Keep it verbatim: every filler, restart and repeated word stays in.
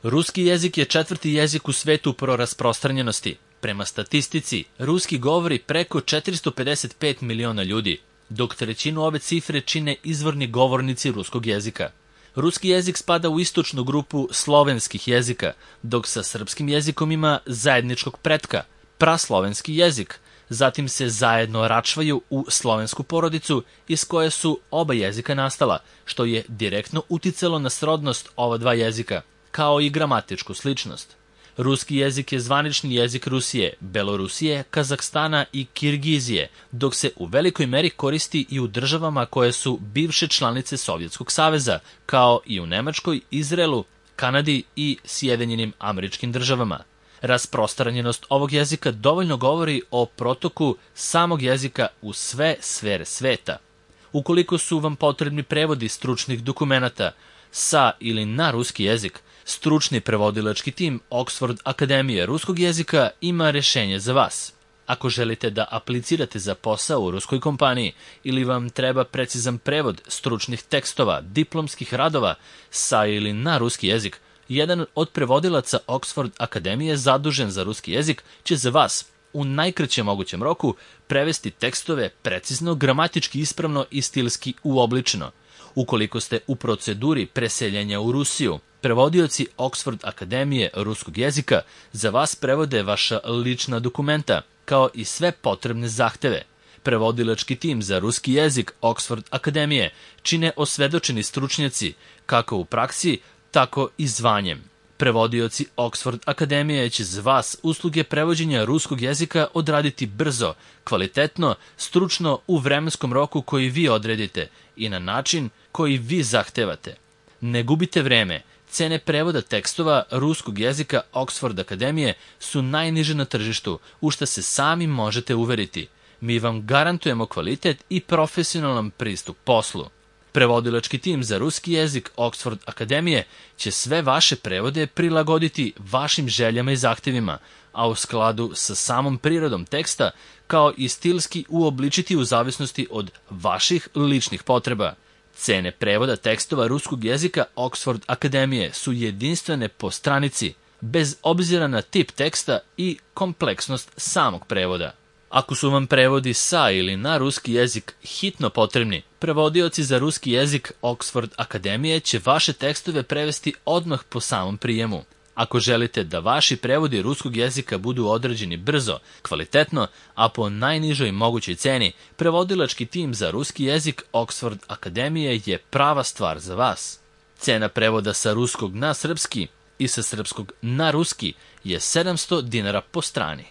Ruski jezik je četvrti jezik u svetu po rasprostranjenosti. Prema statistici, ruski govori preko četiristo pedeset pet miliona ljudi, dok trećinu ove cifre čine izvorni govornici ruskog jezika. Ruski jezik spada u istočnu grupu slovenskih jezika, dok sa srpskim jezikom ima zajedničkog pretka, praslovenski jezik, zatim se zajedno račvaju u slovensku porodicu iz koje su oba jezika nastala, što je direktno uticalo na srodnost ova dva jezika, kao i gramatičku sličnost. Ruski jezik je zvanični jezik Rusije, Belorusije, Kazahstana i Kirgizije, dok se u velikoj meri koristi i u državama koje su bivše članice Sovjetskog saveza, kao i u Nemačkoj, Izraelu, Kanadi i Sjedinjenim Američkim Državama. Rasprostranjenost ovog jezika dovoljno govori o protoku samog jezika u sve sfere sveta. Ukoliko su vam potrebni prevodi stručnih dokumenata sa ili na ruski jezik, stručni prevodilački tim Oxford Akademije ruskog jezika ima rešenje za vas. Ako želite da aplicirate za posao u ruskoj kompaniji ili vam treba precizan prevod stručnih tekstova, diplomskih radova sa ili na ruski jezik, jedan od prevodilaca Oxford Akademije zadužen za ruski jezik će za vas u najkraćem mogućem roku prevesti tekstove precizno, gramatički ispravno i stilski uobličeno. Ukoliko ste u proceduri preseljenja u Rusiju, prevodioci Oxford Akademije ruskog jezika za vas prevode vaša lična dokumenta, kao i sve potrebne zahteve. Prevodilački tim za ruski jezik Oxford Akademije čine osvedočeni stručnjaci, kako u praksi, tako i zvanjem. Prevodioci Oxford Akademije će za vas usluge prevođenja ruskog jezika odraditi brzo, kvalitetno, stručno u vremenskom roku koji vi odredite i na način koji vi zahtevate. Ne gubite vreme. Cene prevoda tekstova ruskog jezika Oxford Akademije su najniže na tržištu, u šta se sami možete uveriti. Mi vam garantujemo kvalitet i profesionalan pristup poslu. Prevodilački tim za ruski jezik Oxford Akademije će sve vaše prevode prilagoditi vašim željama i zahtevima, a u skladu sa samom prirodom teksta, kao i stilski uobličiti u zavisnosti od vaših ličnih potreba. Cene prevoda tekstova ruskog jezika Oxford Akademije su jedinstvene po stranici, bez obzira na tip teksta i kompleksnost samog prevoda. Ako su vam prevodi sa ili na ruski jezik hitno potrebni, prevodioci za ruski jezik Oxford Akademije će vaše tekstove prevesti odmah po samom prijemu. Ako želite da vaši prevodi ruskog jezika budu odrađeni brzo, kvalitetno, a po najnižoj mogućoj ceni, prevodilački tim za ruski jezik Oxford Akademije je prava stvar za vas. Cena prevoda sa ruskog na srpski i sa srpskog na ruski je sedamsto dinara po strani.